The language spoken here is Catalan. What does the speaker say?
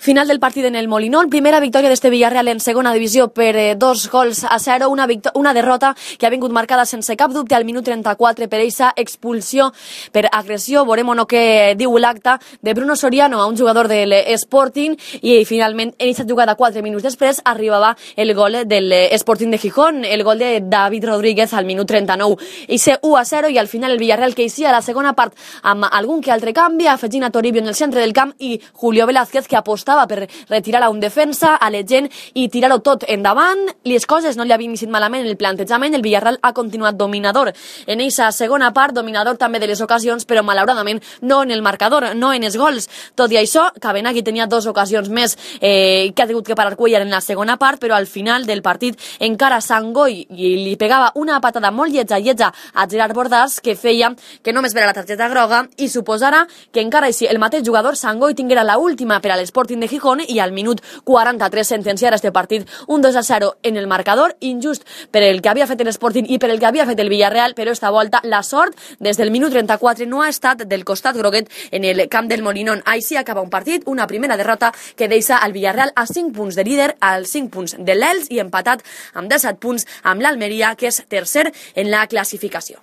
Final del partit en el Molinón, primera victòria d'este Villarreal en segona divisió per 2-0, una derrota que ha vingut marcada sense cap dubte al minut 34 per eixa expulsió per agressió. Veurem o no què diu l'acte de Bruno Soriano a un jugador de l'Sporting i finalment en aquesta jugada 4 minuts després arribava el gol de l'Sporting de Gijón, el gol de David Rodríguez al minut 39. Ixe 1-0 i al final el Villarreal que eixia a la segona part amb algun que altre canvi, afegint a Toribio en el centre del camp i Julio Velázquez que apostava per retirar a un defensa, a la gent i tirar-ho tot endavant. Les coses no li havien iniciat malament en el plantejament, el Villarreal ha continuat dominador en eixa segona part, dominador també de les ocasions, però malauradament no en el marcador, no en els gols. Tot i això, Cabenagui tenia 2 ocasions més que ha tingut que parar Cuellar en la segona part, però al final del partit encara Sangoi li pegava una patada molt lletja a Gerard Bordàs que feia que només vera la targeta groga i suposara que encara així el mateix jugador Sangoi tinguera la última per a l'Sporting de Gijón i al minut 43 sentenciar este partit un 2-0 en el marcador, injust per el que havia fet l'Sporting i per el que havia fet el Villarreal, però esta volta la sort des del minut 34 no ha estat del costat groguet en el camp del Molinón. Així acaba un partit, una primera derrota que deixa al Villarreal a 5 punts de líder, als 5 punts de l'Elx i empatat amb 17 punts amb l'Almeria, que és tercer en la classificació.